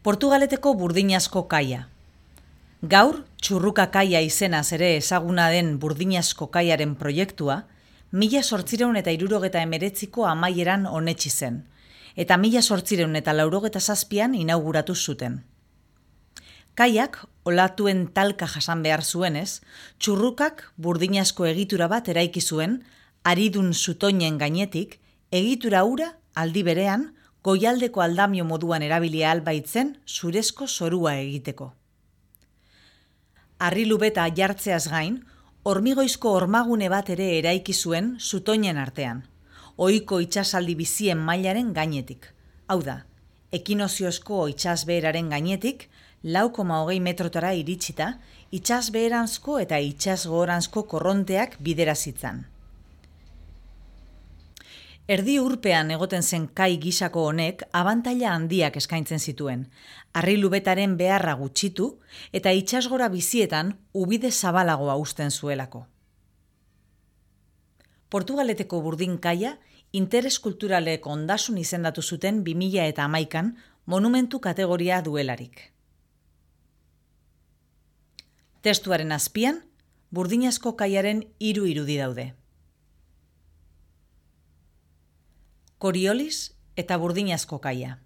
Portugaleteko burdinazko kaia. Gaur, Txurruka kaia izenaz ere ezaguna den burdinazko kaiaren proiektua, 1879ko amaieran onetsi zen, eta 1887an inauguratu zuten. Kaiak, olatuen talka jasan behar zuenez, Txurrukak burdinazko egitura bat eraiki zuen, aridun zutoinen gainetik, egitura hura aldi berean, goialdeko aldamio moduan erabilia albaitzen zurezko zorua egiteko. Harri-lubeta jartzeaz gain, hormigoizko hormagune bat ere eraiki zuen zutoinen artean, ohiko itsasaldi bizien mailaren gainetik. Hau da, ekinoziozko itsasbeheraren gainetik, 4,20 metrotara iritsita, itsasbeheranzko eta itsasgoranzko korronteak bidera zitzan. Erdi urpean egoten zen kai gisako honek abantaila handiak eskaintzen zituen, harri-lubetaren beharra gutxitu eta itsasgora bizietan ubide zabalagoa uzten zuelako. Portugaleteko burdin kaia interes kulturaleko ondasun izendatu zuten 2011an monumentu kategoria duelarik. Testuaren azpian, burdinazko kaiaren 3 irudi daude. Coriolis eta burdinazko kaia.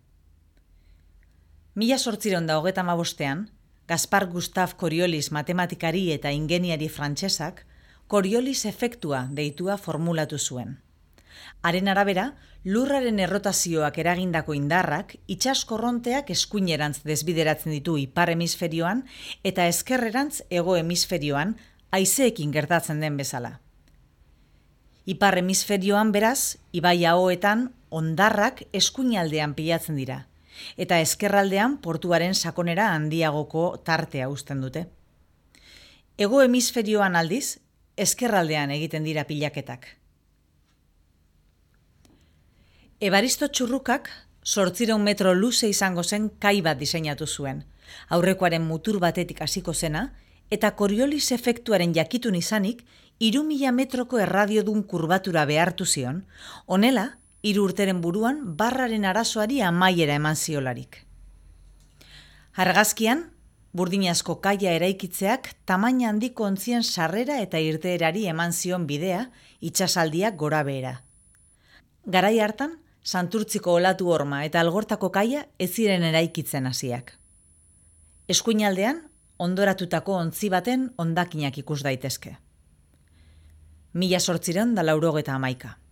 1835an, Gaspar Gustave Coriolis matematikari eta ingeniari frantsesak Coriolis efektua deitua formulatu zuen. Haren arabera, lurraren errotazioak eragindako indarrak itsaskorronteak eskuinerantz desbideratzen ditu ipar hemisferioan eta ezkerrerantz hego hemisferioan haizeekin gertatzen den bezala. Ipar hemisferioan beraz, ibai ahoetan hondarrak eskuinaldean pilatzen dira, eta ezkerraldean portuaren sakonera handiagoko tartea uzten dute. Hego hemisferioan aldiz, ezkerraldean egiten dira pilaketak. Ebaristo Txurrukak 800 metro luze izango zen kai bat diseinatu zuen, aurrekoaren mutur batetik hasiko zena, eta Coriolis efektuaren jakitun izanik 3000 metroko erradiodun kurbatura behartu zion, honela, 3 urteren buruan barraren arazoari amaiera eman ziolarik. Argazkian, burdinazko kaia eraikitzeak tamaina handiko ontzien sarrera eta irteerari eman zion bidea itsasaldiak gora behera. Garai hartan, Santurtziko olatu horma eta Algortako kaia ez ziren eraikitzen hasiak. Eskuinaldean, ondoratutako ontzi baten hondakinak ikus daitezke. 1891